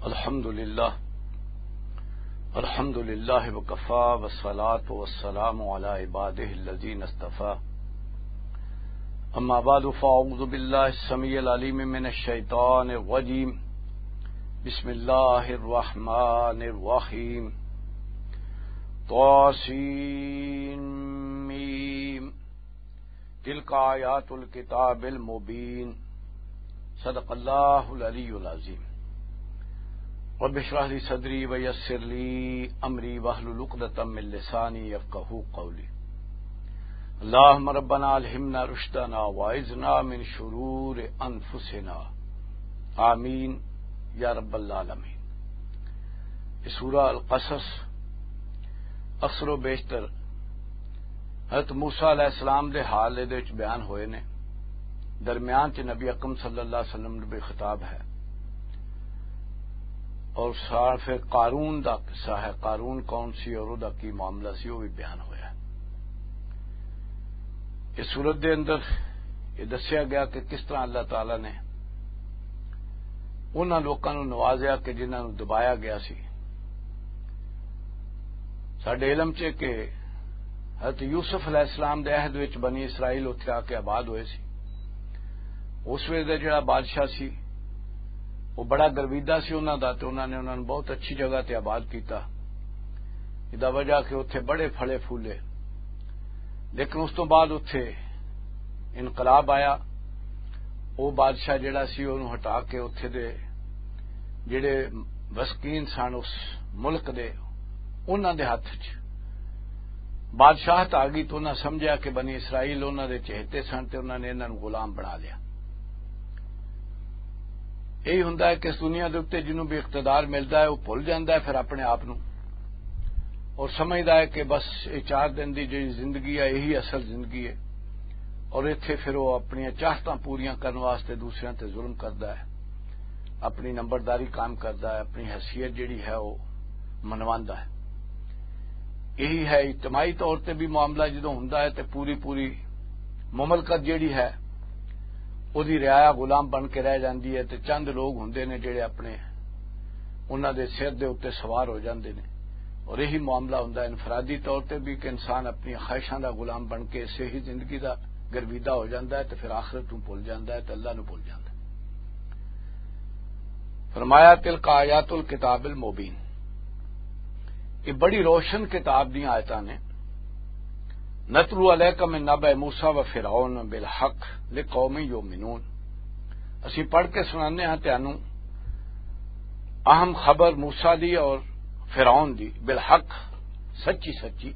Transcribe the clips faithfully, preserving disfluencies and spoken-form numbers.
الحمد لله. الحمد لله وكفى، والصلاة والسلام على عباده الذين اصطفى. أما بعد، فأعوذ بالله السميع العليم من الشيطان الرجيم. بسم الله الرحمن الرحيم. طاسين ميم. تلك آيات الكتاب المبين. صدق الله العلي العظيم. رب اشرح لي صدري ويسر لي أمري واحلل عقدة من لساني يفقهوا قولي. اللهم ربنا ألهمنا رشدنا وأعذنا من شرور أنفسنا. آمين يا رب العالمين. یہ سورہ القصص اکثر و بیشتر حضرت موسیٰ علیہ السلام دے حال دے وچ بیان ہوئے نے۔ درمیان چ نبی اکرم صلی اللہ علیہ وسلم نوں بھی خطاب ہے۔ اور ساتھ پھر قارون دا قصہ ہے، قارون کون سی اور او دا کی معاملہ سی، وہ بھی بیان ہویا ہے۔ اس صورت دے اندر یہ دسیا گیا کہ کس طرح اللہ تعالیٰ نے انہاں لوکاں نوں نوازیا کہ جنہاں نوں دبایا گیا سی۔ ساڈے علم چ کہ حضرت یوسف علیہ السلام دے عہد وچ بنی اسرائیل اتھے آ کے آباد ہوئے سی۔ اس ویلے دا جڑا بادشاہ سی، وہ بڑا گرویدہ سی انہاں دا، تے انہاں نے انہاں نوں بہت اچھی جگہ تے آباد کیتا۔ ادا وجہ کہ اتھے بڑے پھلے پھولے۔ لیکن اس تو بعد اتھے انقلاب آیا۔ وہ بادشاہ جڑا سی، انہوں ہٹا کے اتھے دے جڑے وسکین سن اس ملک دے، انہاں دے ہتھ چ بادشاہت آ گئی، تو انہاں سمجھیا کہ بنی اسرائیل انہاں دے چہتے سن تے انہاں نے انہاں نوں غلام بنا لیا۔ یہی ہوندا ہے کہ اس دنیا دے اُتے جنوں بھی اقتدار ملدا ہے، وہ بھل جاندا ہے پھر اپنے آپ نوں، اور سمجھدا ہے کہ بس یہ چار دن دی جڑی زندگی ہے، یہی اصل زندگی ہے۔ اور ایتھے پھر وہ اپنی چاہتاں پوریاں کرن واسطے دوسریاں تے ظلم کردا ہے، اپنی نمبرداری قائم کردا ہے، اپنی حیثیت جڑی ہے وہ منواندا ہے۔ یہی ہے اجتماعی طور تے بھی معاملہ جدوں ہوندا ہے تے پوری پوری مملکت جڑی ہے، او دی رعایا غلام بن کے رہ جاندی ہے تے چند لوگ ہوندے نے جڑے اپنے، انہاں دے سر دے اُتے سوار ہو جاندے نے۔ اور یہی معاملہ ہوندا ہے انفرادی طور تے بھی کہ انسان اپنی خواہشاں دا غلام بن کے اسے ہی زندگی دا گرویدہ ہو جاندا ہے تے پھر آخرت نوں بھل جاندا ہے تے اللہ نوں بھل جاندا ہے۔ فرمایا، "تلک آیات الکتاب المبین۔" یہ بڑی روشن کتاب دیاں آیتاں نے۔ "نتلو علیک من نبأ موسیٰ و فرعون بالحق لقوم یؤمنون۔" اسی پڑھ کے سنانے ہاں تانوں اہم خبر موسیٰ دی اور فرعون دی، بالحق، سچی سچی،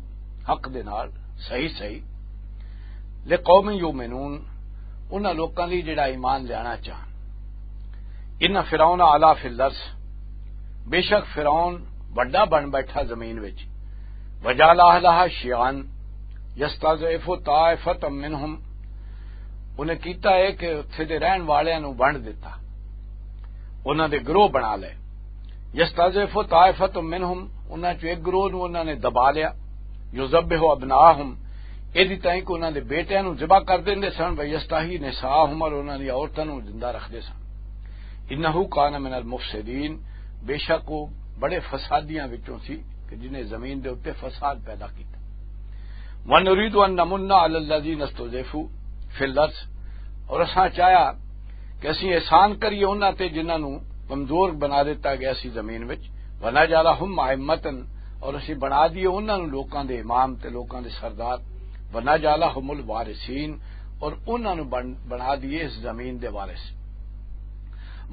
حق دے نال، صحیح صحیح۔ لقوم یؤمنون، انہاں لوکاں لئی جڑا ایمان لینا چاہن۔ ان فرعون علا فی الارض، بے شک فرعون وڈا بن بیٹھا زمین وچ۔ وجعل اہلہا شیعا یستضعف طائفۃ منہم، انہیں کیتا ہے کہ اتھے دے رہن والیاں نوں ونڈ دتا، انہاں دے گروہ بنا لے۔ یستضعف طائفۃ منہم، انہاں چوں ایک گروہ نوں انہاں نے دبا لیا۔ یذبح ابناءہم، ایدی تائیں کہ انہاں دے بیٹیاں نوں ذبح کر دیندے سن، و یستحیی نساءہم، اور انہاں دی عورتاں نوں زندہ رکھدے سن۔ انہ کان من المفسدین، بے شک وہ بڑے فسادیاں وچوں سی کہ جنہیں زمین دے اُتے فساد پیدا کیتا۔ ونرید ان نمن علی الذین استضعفوا فی الارض، اور اساں چاہیا کہ اسی احسان کریے انہاں تے جنہاں نوں کمزور بنا دیتا گیا سی زمین وچ۔ ونجعلہم ائمۃ، اور اسی بنا دیے انہاں نوں لوکاں دے امام تے لوکاں دے سردار۔ ونجعلہم الوارثین، اور انہاں نوں بن-، بنا دیے اس زمین دے وارث۔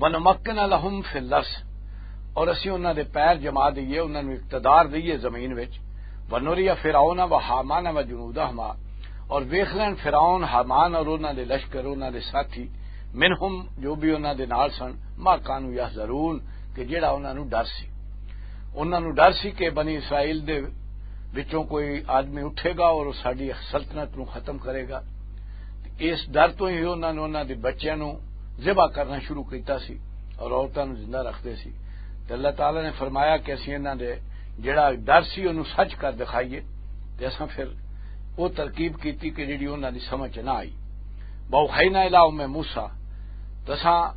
ونمکن لہم فی الارض، اور اسی انہاں دے پیر جما دئیے، انہاں نوں اقتدار دئیے زمین وچ۔ ونری فرعون و ہامان و جنودہما، اور ویکھ لین فرعون، ہامان اور انہاں دے لشکر، انہاں دے ساتھی، منہم، جو بھی انہاں دے نال سن، ما کانوا یحذرون، کہ جڑا انہاں نوں ڈر سی۔ انہاں نوں ڈر سی کہ بنی اسرائیل دے وچوں کوئی آدمی اٹھے گا اور ساڈی سلطنت نوں ختم کرے گا۔ اس ڈر تو ہی انہاں نے انہاں دے بچیاں نوں ذبح کرنا شروع کیتا سی اور عورتاں نوں زندہ رکھدے سی۔ تے اللہ تعالیٰ نے فرمایا کہ اسی انہاں دے جڑا ڈر سی، انہوں سچ کر دکھائیے، تے اساں پھر وہ ترکیب کیتی کہ جڑی انہاں دی سمجھ چ نہ آئی۔ وَأَوْحَيْنَا إِلَىٰ أُمِّ مُوسَىٰ، تے اساں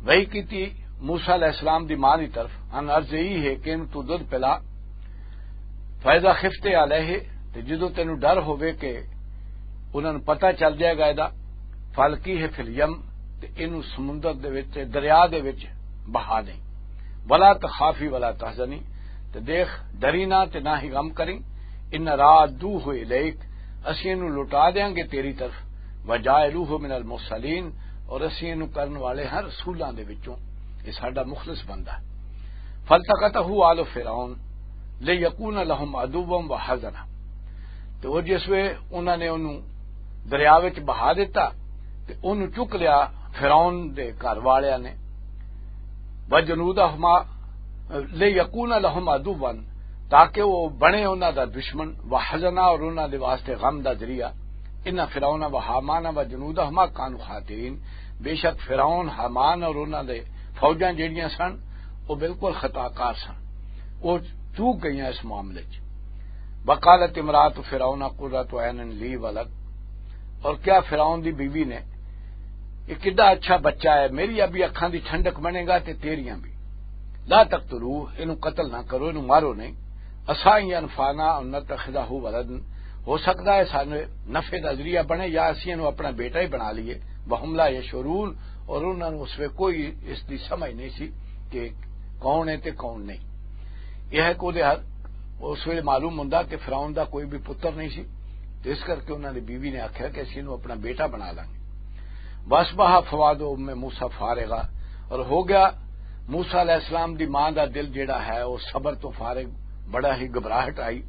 وحی کیتی موسیٰ علیہ السلام دی ماں دی طرف، ان عرض یہی ہے کہ ان تو دودھ پلا، فیضا خفتے علیہ، تے جدوں تینوں ڈر ہووے کہ انہاں نوں پتہ چل جائے گا ایدا، فالکی ہے فی الیم، تے اینوں سمندر دے وچ، دریا دے وچ بہا دیں۔ ولا تخافی ولا تحزنی، تے دیکھ، ڈری نہ تے نہ ہی غم کریں۔ ان رادوہ الیک، اسی اینوں لوٹا دیاں گے تیری طرف، وجائلوہ من المرسلین، اور اسی اینوں کرن والے ہاں رسولاں دے وچوں، یہ ساڈا مخلص بندہ ہے۔ فالتقطہ آل فرعون لیکون لہم عدوا وحزنا۔ تے او جس وے انہاں نے اونوں دریا وچ بہا دتا تے اونوں چک لیا فرعون دے گھر والیاں نے، وجنودہما، لیکون لہم عدوا، تاکہ وہ بنے انہاں دا دشمن، وحزنا، اور انہاں دے واسطے غم دا ذریعہ۔ ان فرعون و ہامان و جنودہما کانوا خاطئین، بے شک فرعون، ہامان اور انہاں دے فوجاں جڑیاں سن، وہ بالکل خطا کار سن۔ وہ چوک گئیاں اس معاملے چ۔ وقالت امرات فرعون قرۃ عین لی ولک، اور کیا فرعون دی بیوی نے، یہ کڈا اچھا بچہ ہے، میری ابھی اکھاں دی ٹھنڈک بنے گا تے تیریاں بھی۔ لا تقتلوہ، اینوں قتل نہ کرو، اینوں مارو نہیں۔ عسیٰ ان ینفعنا او نتخذہ ولدا، ہو سکدا ہے سانوں نفع دا ذریعہ بنے یا اسی اینوں اپنا بیٹا ہی بنا لئیے۔ وہم لا یشعرون، اور انہاں نوں اس ویلے کوئی اس دی سمجھ نہیں سی کہ کون ہے تے کون نہیں۔ یہ ہے کہ اس ویلے معلوم ہوندا کہ فرعون دا کوئی بھی پتر نہیں سی، تے اس کر کے انہاں دی بیوی نے آکھیا کہ اسی اینوں اپنا بیٹا بنا لانگے۔ واصبح فؤاد ام موسیٰ فارغا، اور ہو گیا موسیٰ علیہ السلام دی ماں دا دل جڑا ہے، وہ صبر تو فارغ، بڑا ہی گھبراہٹ آئی۔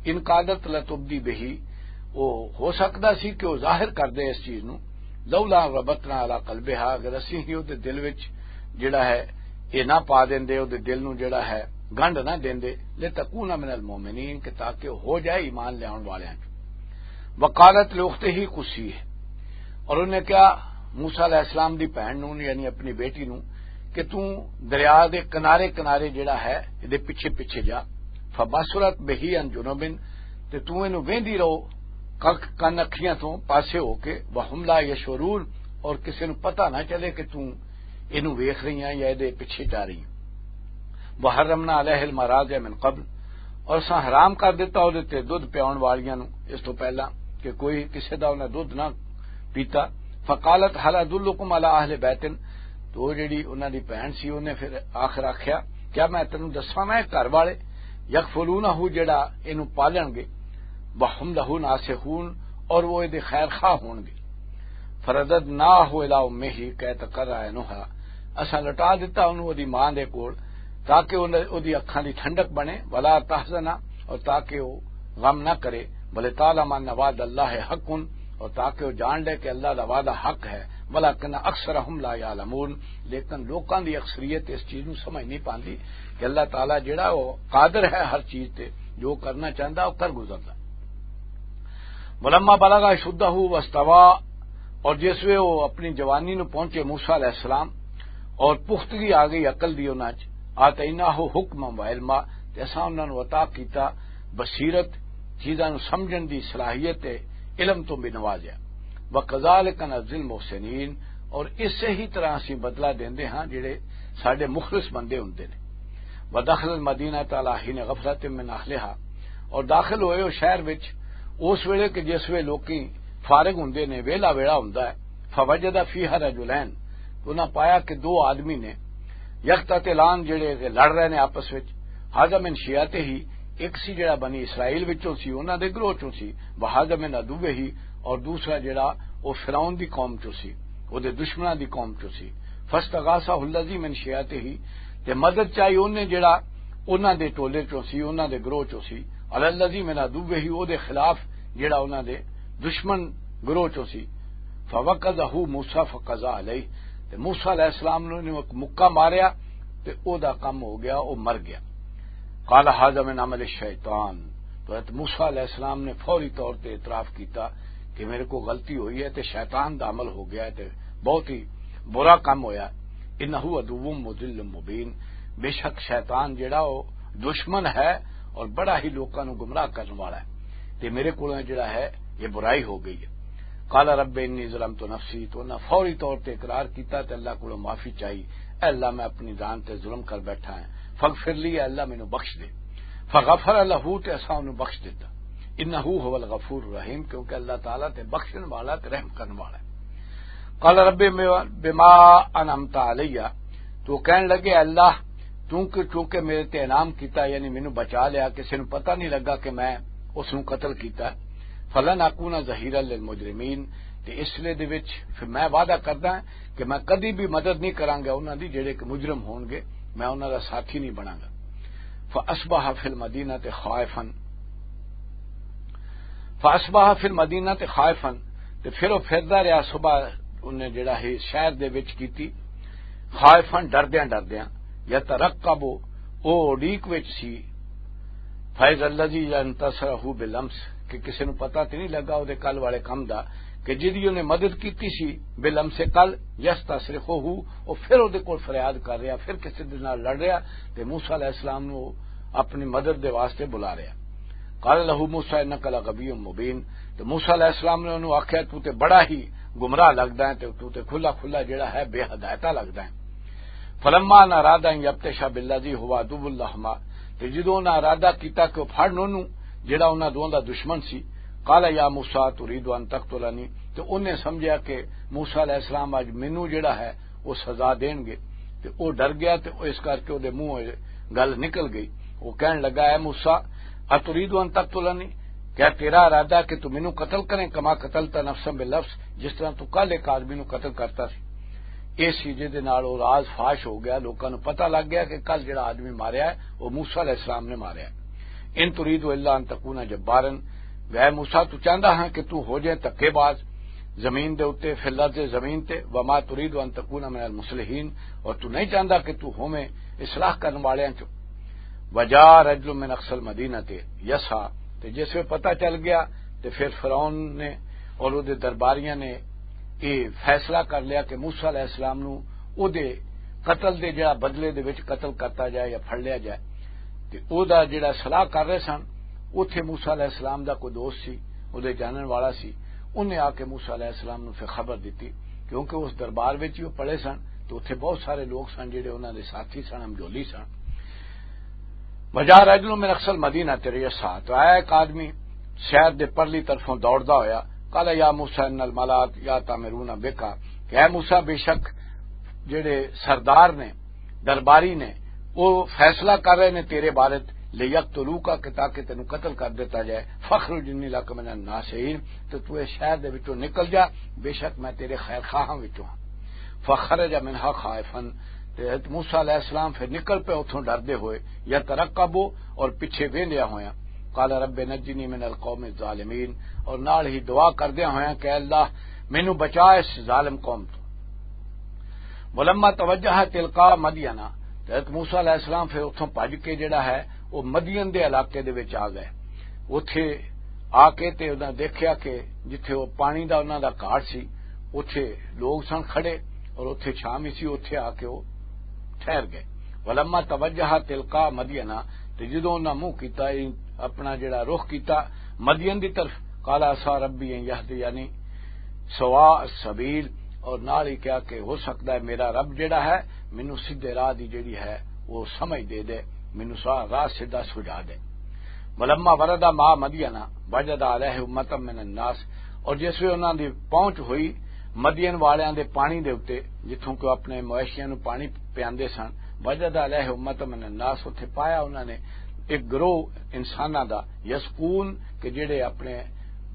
ان کادت لتبدی بہی، وہ ہو سکدا سی کہ وہ ظاہر کر دے اس چیز نو۔ لولا ربطنا علی قلبہا، اگر اسی ہی وہ دے دل وچ جڑا ہے، یہ نہ پا دیندے، وہ دے دل نو جڑا ہے، گنڈ نہ دیندے، لتکون من المؤمنین، کہ تاکہ وہ ہو جائے ایمان لیاون والیاں چوں۔ وقالت لاختہ قصیہ، اور انہوں نے کہا موسیٰ علیہ السلام دی بہن نوں، یعنی اپنی بیٹی نوں، کہ توں دریا دے کنارے کنارے جڑا ہے، دے پیچھے پیچھے جا۔ فبصرت بہ عن جنب، تے توں اینوں ویندی رہو کک کن اکھیاں توں پاسے ہو کے، وہم لا یشعرون، اور کسے نوں پتہ نہ چلے کہ توں اینوں ویکھ رہی ہیں یا دے پیچھے جا رہی ہیں۔ وحرمنا علیہ المراضع من قبل، اور اساں حرام کر دتا او دے تے دودھ پیاون والیاں نوں اس تو پہلا کہ کوئی کسے دا انہاں دودھ نہ پیتا۔ فقالت هل ادلکم علی اہل بیت، تو وہ جڑی انہاں دی بہن سی، انہیں پھر آخر آکھیا، کیا میں تینوں دساں میں گھر والے، یکفلونہ، جڑا اینوں پالن گے، وہم لہ ناصحون، اور وہ دے خیر خواہ ہون گے۔ فرددناہ الی امہ کی تقر عینہا، اساں لٹا دتا انہوں دی ماں دے کول، تاکہ انہوں دی اکھاں دی ٹھنڈک بنے، ولا تحزن، اور تاکہ وہ غم نہ کرے، ولتعلم ان وعد اللہ حق، اور تاکہ وہ جان لے کہ اللہ دا وعدہ حق ہے، ولکن اکثرہم لا یعلمون، لیکن لوکاں دی اکثریت اس چیز نوں سمجھ نہیں پاندی کہ اللہ تعالیٰ جڑا وہ قادر ہے ہر چیز تے، جو کرنا چاہندا وہ کر گزردا۔ ولما بلغ اشدہ واستوى، اور جس وے وہ اپنی جوانی نو پہنچے موسیٰ علیہ السلام اور پختگی آ گئی عقل دی انہاں چ، آتیناہ حکما و علما، تے اساں انہاں نو عطا کیتا بصیرت، چیزاں نو سمجھن دی صلاحیت تے علم تو بھی نوازیا۔ وکذالک نجزی المحسنین، اور اسے ہی طرح اسی بدلہ دیندے ہاں جڑے ساڈے مخلص بندے ہوندے نے۔ ودخل المدینۃ علی حین غفلۃ من اہلہا، اور داخل ہوئے ہو شہر وچ اس ویلے کہ جس ویلے لوکی فارغ ہوندے نے، ویلا ویلا ہوندا ہے۔ فوجد فیہا رجلین، تو انہاں پایا کہ دو آدمی نے، یقتتلان، جڑے کہ لڑ رہے نے آپس وچ۔ ھذا من شیعتہ، ایک سی جڑا بنی اسرائیل وچوں سی، انہاں دے گروہ چوں سی، وھذا من عدوہ، اور دوسرا جڑا او فرعون دی قوم چوں سی، او دے دشمناں دی قوم چوں سی۔ فاستغاثہ الذی من شیعتہ، تے مدد چاہی اونے جڑا انہاں دے ٹولے چوں سی، انہاں دے گروہ چوں سی، علی الذی من عدوہ، او دے خلاف جڑا انہاں دے دشمن گروہ چوں سی۔ فوکزہ موسیٰ فقضی علیہ، تے موسیٰ علیہ السلام نے انہوں ایک مکہ ماریا تے او دا کم ہو گیا، او مر گیا۔ قال ھذا من عمل الشیطان، تو حضرت موسیٰ علیہ السلام نے فوری طور تے اعتراف کیتا کہ میرے کو غلطی ہوئی ہے تے شیطان دا عمل ہو گیا ہے تے بہت ہی برا کم ہویا۔ انہ عدو مضل مبین، بے شک شیطان جڑا او دشمن ہے اور بڑا ہی لوکاں نو گمراہ کرن والا ہے، تے میرے کولوں جڑا ہے یہ برائی ہو گئی ہے۔ قال رب انی ظلمت نفسی، تو انہاں فوری طور تے اقرار کیتا تے اللہ کولوں معافی چاہی، اے اللہ، میں اپنی جان تے ظلم کر بیٹھا ہاں، فاغفر لی، اے اللہ، مینوں بخش دے۔ فغفر لہ، تے اساں اونوں بخش دتا۔ انہ ھو الغفور الرحیم، کیونکہ اللہ تعالیٰ تے بخشن والا تے رحم کرن والا ہے۔ قال رب بما انعمت علی، تو کہن لگے، "اللہ، تو کہ، چونکہ میرے تے انعام کیتا، یعنی مینوں بچا لیا، کسے نوں پتہ نہیں لگا کہ میں اس نوں قتل کیتا، فلن اکون ظہیرا للمجرمین، تے اس لیے دے وچ پھر میں وعدہ کردا ہاں کہ میں کدی بھی مدد نہیں کراں گا انہاں دی، جڑے کہ مجرم ہون گے، میں انہاں دا ساتھی نہیں بناں گا۔" فاصبح فی المدینہ خائفا، فاصبح فی المدینہ خائفا، تے پھر وہ پھردا رہیا، صبح انہیں جڑا ہے شہر دے وچ کیتی، خائفا، ڈردیاں ڈردیاں، یترقب، او اڈیک وچ سی، فیض الذی ینتصرہ بالامس، کہ کسے نوں پتہ تے نہیں لگا او دے کل والے کم دا، کہ جدی انہیں مدد کیتی سی بالامس کل، یستصرخہ، او پھر او دے کول فریاد کر رہیا، پھر کسے دے نال لڑ رہیا، تے موسیٰ علیہ السلام نوں اپنی مدد دے واسطے بلا رہیا۔ قال لہ موسیٰ انک لغوی مبین، تے موسیٰ علیہ السلام نے انہوں آکھیا، "تو تے بڑا ہی گمراہ لگدا ہے، تے تو تے کھلا کھلا جڑا ہے، بے ہدایتا لگدا ہے۔" فلما ان اراد ان یبطش بالذی ھو عدو لہما، تے جدوں انہاں ارادہ کیتا کہ وہ پھڑن انہوں، جڑا انہاں دوواں دا دشمن سی، قال یا موسیٰ ترید ان تقتلنی، تے انہیں سمجھیا کہ موسیٰ علیہ السلام اج مینوں جڑا ہے، وہ سزا دین گے۔ تے وہ ڈر گیا، تے وہ اس کر کے وہ دے منہ گل نکل گئی۔ وہ کہن لگا، "اے موسیٰ، اترید ان تقتلنی، کیا تیرا ارادہ کہ تو مینوں قتل کریں، کما قتلت نفسا بالامس، جس طرح تو کل ایک آدمی نوں قتل کرتا سی؟" اس چیزے دے نال وہ راز فاش ہو گیا، لوکاں نوں پتہ لگ گیا کہ کل جڑا آدمی ماریا ہے، وہ موسیٰ علیہ السلام نے ماریا ہے۔ "ان ترید الا ان تکون جبارا، اے موسیٰ، تو چاہندا ہاں کہ تو ہو جائے دھکے باز زمین دے اُتے، فی الارض، زمین تے، وما ترید ان تکون من المصلحین، اور تو نہیں چاہندا کہ تو ہوویں اصلاح کرن والیاں چوں۔" وجاء رجل من اقصی المدینہ یسعی، تے جس ویلے پتہ چل گیا، تے پھر فرعون نے اور اودے درباریاں نے یہ فیصلہ کر لیا کہ موسیٰ علیہ السلام نوں اودے قتل دے جڑا بدلے دے وچ قتل کرتا جائے یا پھڑ لیا جائے۔ تے او دا جڑا صلاح کر رہے سن، اوتھے موسیٰ علیہ السلام دا کوئی دوست سی، اودے جانن والا سی، انہیں آ کے موسیٰ علیہ السلام نوں پھر خبر دتی، کیونکہ اس دربار وچ ہی وہ پڑے سن، تے اوتھے بہت سارے لوگ سن جڑے انہاں دے ساتھی سن، ہمجولی سن۔ وجاء رجل من اقصی المدینہ یسعی، تو آیا ایک آدمی شہر دے پرلی طرفوں دوڑدا ہویا، قال یا موسیٰ ان الملأ یأتمرون بک، کہ اے موسیٰ، بے شک جڑے سردار نے، درباری نے، وہ فیصلہ کر رہے نے تیرے بارے، لیقتلوک، کہ تاکہ تینوں قتل کر دیتا جائے، فاخرج انی لک من الناصحین، تو تو اس شہر دے وچوں نکل جا، بے شک میں تیرے خیر خواہاں وچوں ہاں۔ فخرج منها خائفا، تے حضرت موسیٰ علیہ السلام پھر نکل پئے اتھوں ڈردے ہوئے، یترقب، اور پیچھے ویندیا ہویا، قال رب نجنی من القوم الظالمین، اور نال ہی دعا کردیا ہویا کہ اے اللہ، مینوں بچا اس ظالم قوم تو۔ ولما توجہ تلقاء مدین، تے حضرت موسیٰ علیہ السلام پھر اتھوں بھج کے جڑا ہے، وہ مدین دے علاقے دے وچ آ گئے۔ اتھے آ کے تے انہاں دیکھیا کہ جتھے وہ پانی دا انہاں دا گھاٹ سی، اتھے لوگ سن کھڑے اور اتھے چھاں وی سی، اتھے آ کے وہ ٹھہر گئے۔ ولما توجہ تلقاء مدین، تے جدوں انہاں منہ کیتا، اپنا جڑا رخ کیتا مدین دی طرف، قال عسیٰ ربی ان یہدینی سواء السبیل، اور نال ہی کہا کہ ہو سکتا ہے میرا رب جڑا ہے مینوں سیدھے راہ دی جڑی ہے وہ سمجھ دے دے، مینوں سا-، راہ سیدھا سجا دے۔ ولما ورد ماء مدین وجد علیہ امة من الناس، اور جس ویلے انہاں دی پہنچ ہوئی مدین والیاں دے پانی دے اُتے، جتھوں کہ اپنے مویشیاں نوں پانی پیاندے سن، وجد علیہ امة من الناس، اتھے پایا انہاں نے ایک گروہ انساناں دا، یسقون، کہ جڑے اپنے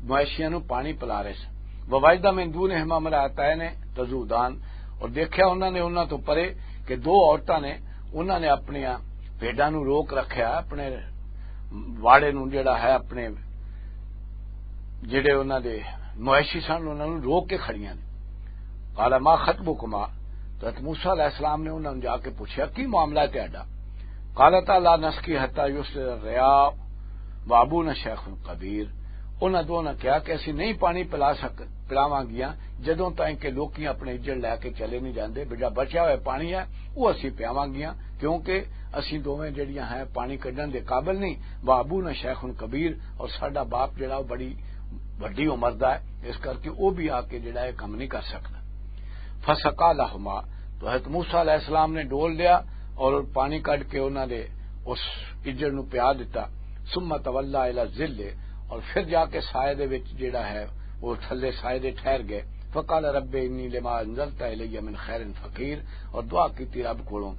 مویشیاں نوں پانی پلا رہے سن۔ ووجد من دونہما امرأتین تذودان، اور دیکھیا انہاں نے انہاں تو پرے کہ دو عورتاں نے، انہاں نے اپنیاں بھیڈاں نوں روک رکھیا، اپنے واڑے نوں جڑا ہے، اپنے جڑے انہاں دے مویشی سن، انہاں نوں روک کے کھڑیاں نے۔ قال ما خطبکما، تو حضرت موسیٰ علیہ السلام نے انہاں نوں جا کے پوچھیا، "کی معاملہ ہے تہاڈا؟" قالتا لا نسقی حتی یصدر الرعاء وابونا شیخ کبیر۔ انہاں دونوں کہا کہ اسی نہیں پانی پلا سک-، پلاواں گیاں، جدوں تائیں کہ لوکی اپنے اجڑ لے کے چلے نہیں جاندے، بجا بچیا ہویا پانی ہے، وہ اسی پیاواں گیاں، کیونکہ اسی دوویں جڑیاں ہیں پانی کڈن دے قابل نہیں۔ وابونا شیخ کبیر، اور ساڈا باپ جڑا وہ بڑی وڈی عمر دا ہے، اس کر کے وہ بھی آ کے جڑا ہے کم نہیں کر سکدا۔ فسقا لہما، تو حضرت موسیٰ علیہ السلام نے ڈول لیا اور پانی کڈ کے انہاں دے اس اجڑ نو پیا دتا۔ ثم تولى الى الظل، اور پھر جا کے سائے دے وچ جیڑا ہے، وہ تھلے سائے دے ٹھہر گئے۔ فقال رب انی لما انزلت الی من خیر فقیر، اور دعا کیتی رب کولوں،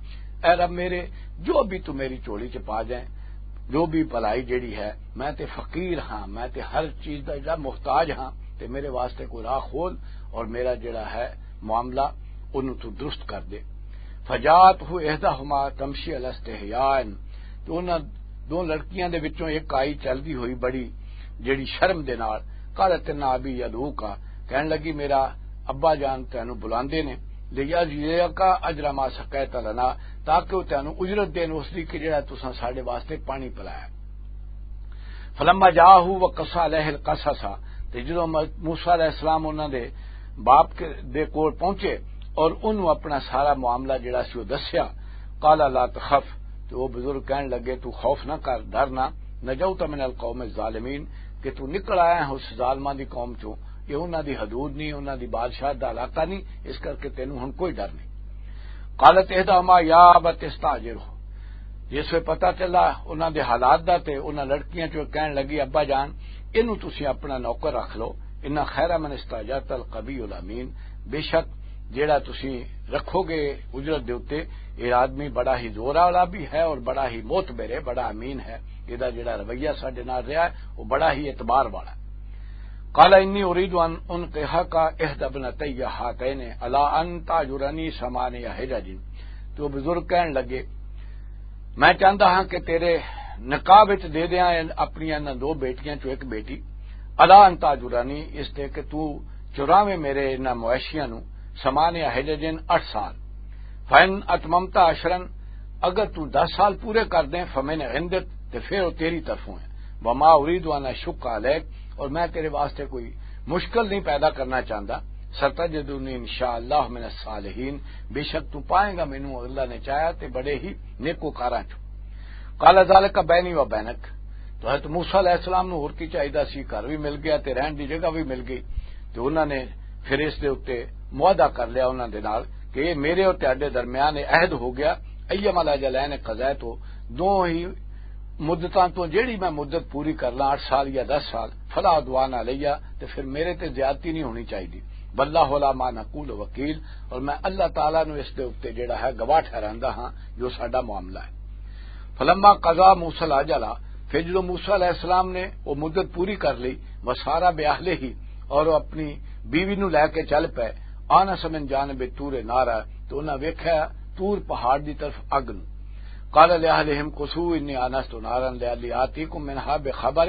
اے رب میرے، جو بھی تو میری جھولی چ پا جائیں، جو بھی بھلائی جیڑی ہے، میں تے فقیر ہاں، میں تے ہر چیز دا جیڑا محتاج ہاں، تے میرے واسطے کوئی راہ کھول اور میرا جیڑا ہے معاملہ، انہوں تو درست کر دے۔ فجاءته احداهما تمشي على استحياء، تو انہاں دو لڑکیاں دے وچوں ایک آئی چلدی ہوئی بڑی جیڑی شرم دے نال۔ قالت ان ابی یدعوک، کہن لگی میرا ابا جان تینوں بلاندے نے، لیجزیک اجر ما سقیت لنا، تاکہ وہ تینوں اجرت دین اس دی کہ جڑا تساں ساڈے واسطے پانی پلایا۔ فلما جاءه وقص عليه القصص، تے جدوں م-، موسیٰ علیہ السلام انہاں دے باپ کے، دے کول پہنچے اور انہوں اپنا سارا معاملہ جڑا سی وہ دسیا، قال لا تخف، تے وہ بزرگ کہن لگے، تو خوف نہ کر، ڈر نہ، نجوت من القوم الظالمین، کہ تو نکل آیا ہے اس ظالماں دی قوم چوں، یہ انہاں دی حدود نہیں، انہاں دی بادشاہ دا علاقہ نہیں، اس کر کے تینوں ہن کوئی ڈر نہیں۔ قالت احداهما یا ابت استاجرہ، جس ویلے پتہ چلا انہاں دے حالات دا، تے انہاں لڑکیاں چوں کہن لگی، ابا جان، اینوں تسی اپنا نوکر رکھ لو، ان خیر من استاجرت القوی الامین، بے شک جیڑا تسی رکھو گے اجرت دے اُتے، یہ آدمی بڑا ہی زور والا بھی ہے اور بڑا ہی معتبر ہے، بڑا امین ہے، یہ دا جیڑا رویہ ساڈے نال رہیا ہے، وہ بڑا ہی اعتبار والا ہے۔ قال انی ارید ان انکحک احدی ابنتی ہاتین علی ان تاجرنی ثمانیہ حجج۔ تو بزرگ کہن لگے، میں چاہتا ہاں کہ تیرے نکاح وچ دے دیاں اپنی انہاں دو بیٹیاں چوں ایک بیٹی، علی ان تاجرنی، اس تے کہ تو چراویں میرے انہاں مویشیاں نو، ثمانیہ حجج، اٹھ سال۔ فَإِنْ أَتْمَمْتَ عَشْرًا، اگر تو دس سال پورے کر دیں، فَمِنْ عِنْدِكَ، تے پھر وہ تیری طرفوں ہے۔ وَمَا أُرِيدُ أَنْ أَشُقَّ عَلَيْكَ، اور میں تیرے واسطے کوئی مشکل نہیں پیدا کرنا چاہتا۔ سَتَجِدُنِي إِنْ شَاءَ اللَّهُ مِنَ الصَّالِحِينَ، بے شک تو پائیں گا مینوں، اللہ نے چاہیا، تے بڑے ہی نیکوکاراں چوں۔ قَالَ ذَلِكَ بَيْنِي وَبَيْنَكَ، تو حضرت موسیٰ علیہ السلام نو ہور کی چاہیدا سی، گھر بھی مل گیا تے رہن دی جگہ بھی مل گئی۔ تے انہاں نے پھر اس دے اُتے معاہدہ کر لیا انہاں دے نال کہ یہ میرے اور تہاڈے درمیان یہ عہد ہو گیا، ایما الاجلین قضیت، دو ہی مدتاں تو جیڑی میں مدت پوری کر لاں، اٹھ سال یا دس سال، فلا عدوان علیہ، تے پھر میرے تے زیادتی نہیں ہونی چاہیے۔ واللہ علی ما نقول وکیل، اور میں اللہ تعالیٰ نو اس دے اُتے جیڑا ہے گواہ ٹھہراندا ہاں جو ساڈا معاملہ ہے۔ فلما قضا موسیٰ الاجل، پھر جدوں موسیٰ علیہ السلام نے وہ مدت پوری کر لی، وسارا باہلہ، اور وہ اپنی بیوی نو لے کے چل پے، آنس من جانب طور نارا، تو انہاں ویکھیا طور پہاڑ دی طرف اگ نو۔ قال لأهلهم امكثوا إني آنست نارا لعلي آتيكم منها بخبر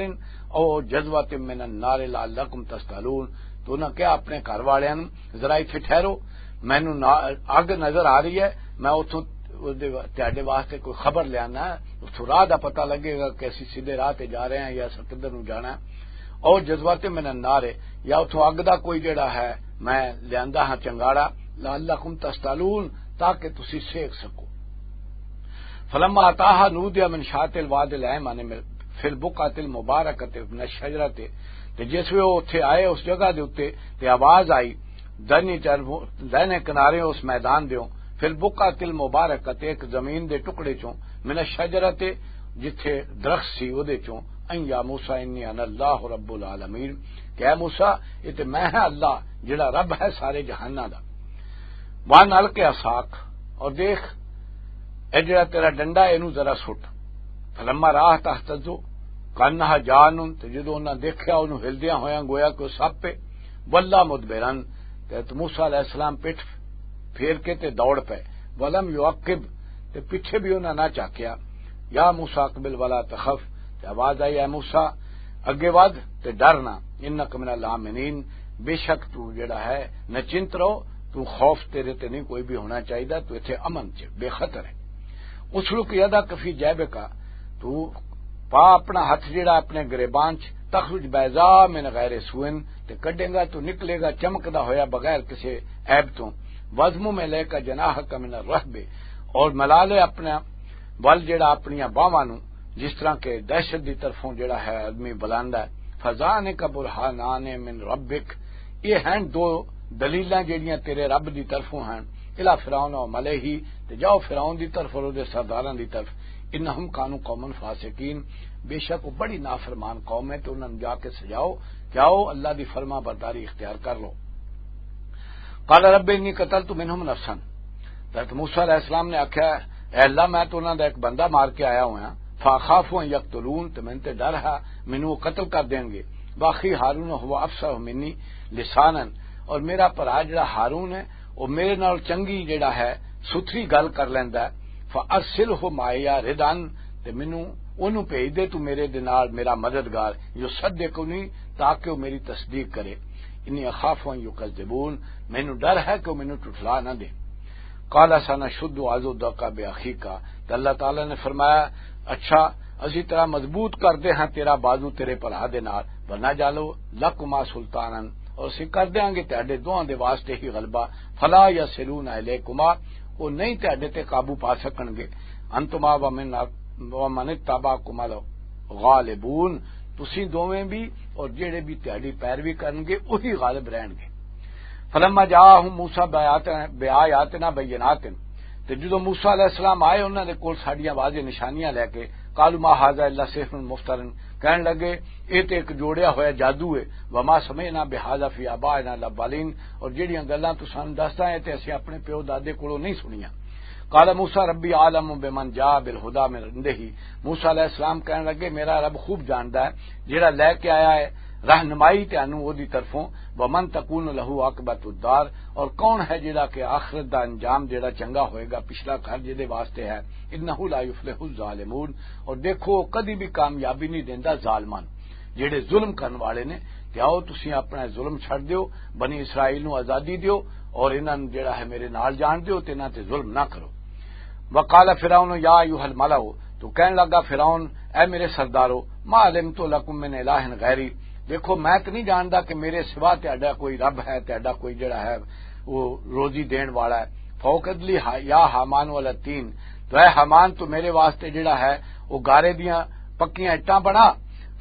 أو جذوة من النار لعلكم تصطلون۔ تو انہاں کہا اپنے گھر والیاں نو، ذرا ایتھے ٹھہرو، مینوں نا-، اگ نظر آ رہی ہے، میں اتھوں، اس دے وا-، تہاڈے واسطے کوئی خبر لیانا ہے، اتھوں راہ دا پتہ لگے گا کہ اسی سیدھے راہ تے جا رہے ہیں یا اساں کدھر نوں جانا ہے۔ او جذوات من النار ہے، یا اتھوں اگ دا کوئی جڑا ہے، میں لیاندا ہاں چنگاڑا، لعلکم تصطلون، تاکہ تسی سیک سکو۔ فلما اتاها نودي من شاطئ الوادي الأيمن في البقعة المباركة من الشجرة، تے جس ویلے او اتھے آئے اس جگہ دے اُتے، تے آواز آئی، دائنے چر-، دائنے کنارے اس میدان دیوں، فی البقعۃ المبارکۃ، ایک زمین دے ٹکڑے چوں، من الشجرۃ، جتھے درخت سی او دے چوں، ان یا موسی انی انا اللہ رب العالمین، کہ اے موسی، یہ تے میں ہاں اللہ جڑا رب ہے سارے جہاناں دا۔ وان الق عصاک، اور دیکھ، اے جڑا تیرا ڈنڈا ہے، اینوں ذرا سٹ۔ فلما راہ تہتز کانہا جان، تے جدوں انہاں دیکھیا اونوں ہلدیاں ہویاں گویا کہ او سپ ہے، ولا مدبرن، تے حضرت موسیٰ علیہ السلام پٹھ پھیر کے تے دوڑ پے، ولم یعقب، تے پیچھے بھی انہاں نہ چاکیا۔ یا موسیٰ اقبل ولا تخف، تے آواز آئی، اے موسیٰ، اگے ودھ تے ڈر نہ، انک من الآمنین، بے شک تو جڑا ہے نچنت رہو، تو خوف تیرے تے نہیں کوئی بھی ہونا چاہیے، تو ایتھے امن چ بے خطر ہے۔ اسلک یدک فی جیبک، تو پا اپنا ہتھ جڑا اپنے گریبان چ، تخرج بیضاء من غیر سوء، تے کڈے گا تو نکلے گا چمکدا ہویا بغیر کسے عیب تو۔ واضمم الیک جناحک من الرہب، اور ملا لے اپنا ول جڑا اپنیاں باہواں نو، جس طرح کہ دہشت دی طرفوں جڑا ہے آدمی بلاندا ہے۔ فذانک برہانان من ربک، یہ ہیں دو دلیلاں جڑیاں تیرے رب دی طرفوں ہیں۔ الا فرعون و ملئہ، تے جاؤ فرعون دی طرف اور اودے سرداراں دی طرف، انہم کانوا قوما فاسقین، بے شک وہ بڑی نافرمان قوم ہے، تے انہاں نوں جا کے سجاؤ کہ آؤ اللہ دی فرما برداری اختیار کر لو۔ قال رب انی قتلت منہم نفسا، حضرت موسیٰ علیہ السلام نے آکھیا، اے اللہ، میں تو انہاں دا ایک بندہ مار کے آیا ہویا، فاخاف ان یقتلون، تے مینوں تے ڈر ہے مینوں وہ قتل کر دین گے، واخی ہارون ہوا افصح منی لسانا، اور میرا بھرا جڑا ہارون ہے، وہ میرے نال چنگی جڑا ہے، ستھری گل کر لیندا ہے۔ فارسلہ معی ردعا، تے مینوں اونوں بھیج دے تو میرے دے نال، میرا مددگار، یصدقنی، تاکہ وہ میری تصدیق کرے۔ انی اخاف ان یکذبون، مینوں ڈر ہے کہ وہ مینوں ٹھٹلا نہ دے۔ قال سنشد عضدک باخیک، تے اللہ تعالیٰ نے فرمایا، اچھا، اسی طرح مضبوط کر دے ہاں تیرا بازو تیرے بھرا دے نال، ونجعل لکما سلطانا، اور اسی کر دیاں گے تہاڈے دوہاں دے واسطے ہی غلبہ، فلا یصلون الیکما، وہ نہیں تہاڈے تے قابو پا سکن گے، انتما ومن، ومن اتبعکما الغالبون، تسی دوویں بھی اور جڑے بھی تہاڈی پیروی کرن گے وہی غالب رہن گے۔ فلما جاءہم موسیٰ بآیاتنا، بآیاتنا بینات، تے جدوں موسیٰ علیہ السلام آئے انہاں دے کول ساڈیاں واضح نشانیاں لے کے، قالوا ما ھذا الا سحر مفتر، کہن لگے، اے تے ایک جوڑیا ہویا جادو ہے، وما سمعنا بھذا فی آبائنا الاولین، اور جڑیاں گلاں تو سانوں دسدا ہے تے اسیں اپنے پیو دادے کولوں نہیں سنیاں۔ قال موسیٰ ربی اعلم بمن جاء بالھدی من عندہ، موسیٰ علیہ السلام کہن لگے، میرا رب خوب جاندا ہے جڑا لے کے آیا ہے رہنمائی تانوں اودی طرفوں، ومن تکون لہ عاقبۃ الدار، اور کون ہے جڑا کہ آخرت دا انجام جڑا چنگا ہوئے گا، پچھلا گھر جدے واسطے ہے، انہ لا یفلح الظالمون، اور دیکھو وہ کدی بھی کامیابی نہیں دیندا ظالماں نوں، جڑے ظلم کرن والے نے۔ تے آؤ تسی اپنا ظلم چھڈ دیو، بنی اسرائیل نوں آزادی دیو، اور انہاں نوں جڑا ہے میرے نال جان دیو تے انہاں تے ظلم نہ کرو۔ وقال فرعون یا ایھا الملأ، تو کہن لگا فرعون، اے میرے سردارو، ما علمت لکم من الہ غیری، دیکھو میں تو نہیں جاندا کہ میرے سوا تہاڈا کوئی رب ہے، تہاڈا کوئی جڑا ہے وہ روزی دین والا ہے۔ فوقد لی ہا-، یا حامان والا تین، تو اے حامان تو میرے واسطے جڑا ہے وہ گارے دیاں پکیاں اٹاں بنا،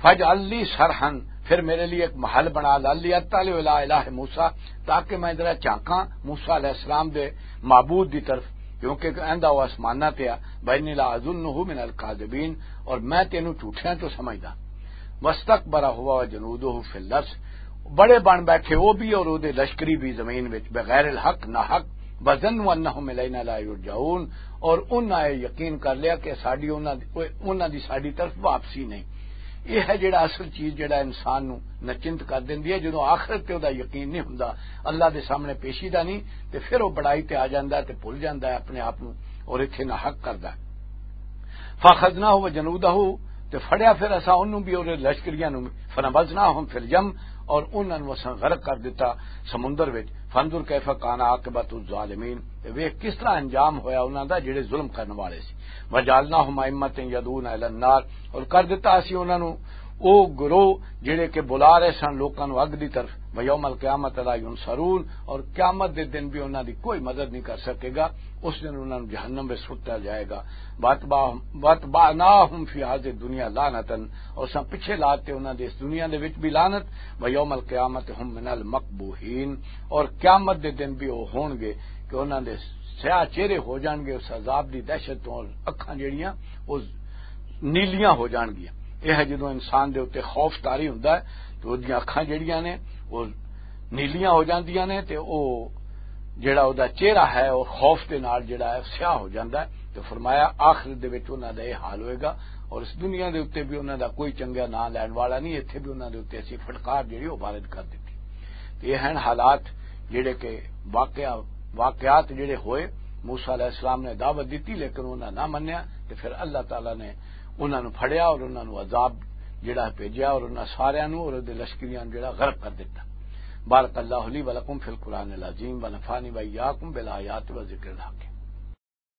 فاجعل لی صرحا، پھر میرے لیے ایک محل بنا، لعلی اطلع الی الہ موسیٰ، تاکہ میں ذرا جھانکاں موسیٰ علیہ السلام دے معبود دی طرف، کیونکہ ایندا وہ آسماناں تے آ، وانی لا اظنہ من الکاذبین، اور میں تینوں جھوٹیاں چوں سمجھدا۔ واستکبر ھو وجنودہ فی الارض، بڑے بن بیٹھے وہ بھی اور وہ دے لشکری بھی زمین وچ بغیر الحق، نہ حق، وظنوا انہم الینا لا یرجعون، اور انہاں یہ یقین کر لیا کہ ساڈی انہاں دی، انہاں دی ساڈی طرف واپسی نہیں۔ یہ ہے جڑا اصل چیز جڑا انسان نو نچنت کر دیندی ہے، جدوں آخرت تے او دا یقین نہیں ہوندا، اللہ دے سامنے پیشی دا نہیں، تے پھر او بڑائی تے آ جاندا ہے تے بھل جاندا ہے اپنے آپ نو اور ایتھے نہ حق کردا ہے۔ فاخذناہ و جنودہ، تے پھڑیا پھر اساں اونوں بھی اور لشکریاں نو، فنبذناہم فی الیم، اور انہاں نو اساں غرق کر دتا سمندر وچ۔ فانظر کیف کان عاقبۃ الظالمین، تے ویکھ کس طرح انجام ہویا انہاں دا جڑے ظلم کرن والے سی۔ وجعلناہم ائمۃ یدعون الی النار، اور کر دتا اسی انہاں نو او گروہ جڑے کہ بلا رہے سن لوکاں نو اگ دی طرف۔ ویوم القیامۃ لا ینصرون، اور قیامت دے دن بھی انہاں دی کوئی مدد نہیں کر سکے گا، اس دن انہاں نو جہنم وچ سٹا جائے گا۔ واتبعہم، واتبعناہم فی ھذہ الدنیا لعنۃ، اور اساں پیچھے لاتے انہاں دے اس دنیا دے وچ بھی لعنت۔ ویوم القیامۃ ھم من المقبوحین، اور قیامت دے دن بھی وہ ہون گے کہ انہاں دے سیاہ چہرے ہو جان گے اس عذاب دی دہشت تو، اور اکھاں جڑیاں وہ نیلیاں ہو جان گیاں۔ یہ ہے جدوں انسان دے اُتے خوف طاری ہوندا ہے تو اودیاں اکھاں جڑیاں نے وہ نیلیاں ہو جاندیاں نے تے وہ جڑا اُدا چہرہ ہے وہ خوف دے نال جڑا ہے سیاہ ہو جاندا ہے۔ تو فرمایا آخرت دے وچ انہاں دا یہ حال ہوئے گا اور اس دنیا دے اُتے بھی انہاں دا کوئی چنگا نام لین والا نہیں، ایتھے بھی انہاں دے اُتے اسی پھٹکار جڑی وہ وارد کر دتی۔ تے یہ ہن حالات جڑے کہ واقعہ، واقعات جڑے ہوئے، موسیٰ علیہ السلام نے دعوت دتی لیکن انہاں نہ منیا، تے پھر اللہ تعالیٰ نے انہاں نوں پھڑیا اور انہاں نوں عذاب جڑا ہے بھیجیا اور انہاں ساریاں نوں اور اودے لشکریاں نوں جڑا غرق کر دتا۔ بارک اللہ لی ولکم فی القرآن العظیم ونفعنی وایاکم بالآیات و ذکر الحکیم۔